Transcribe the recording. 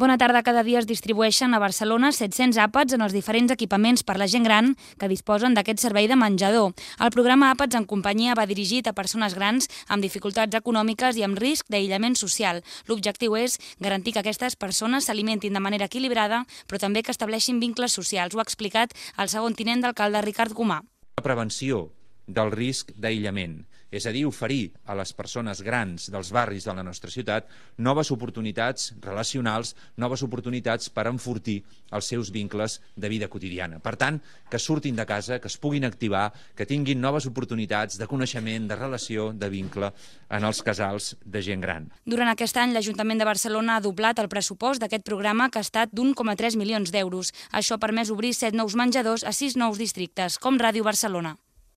Bona tarda. Cada dia es distribueixen a Barcelona 700 àpats en els diferents equipaments per la gent gran que disposen d'aquest servei de menjador. El programa Àpats en companyia va dirigit a persones grans amb dificultats econòmiques i amb risc d'aïllament social. L'objectiu és garantir que aquestes persones s'alimentin de manera equilibrada, però també que estableixin vincles socials. Ho ha explicat el segon tinent d'alcalde, Ricard Comà. La prevenció del risc d'aïllament, és a dir, oferir a les persones grans dels barris de la nostra ciutat noves oportunitats relacionals, noves oportunitats per enfortir els seus vincles de vida quotidiana. Per tant, que surtin de casa, que es puguin activar, que tinguin noves oportunitats de coneixement, de relació, de vincle en els casals de gent gran. Durant aquest any, l'Ajuntament de Barcelona ha doblat el pressupost d'aquest programa, que ha estat d'1,3 milions d'euros. Això ha permès obrir 7 nous menjadors a 6 nous districtes, com Ràdio Barcelona.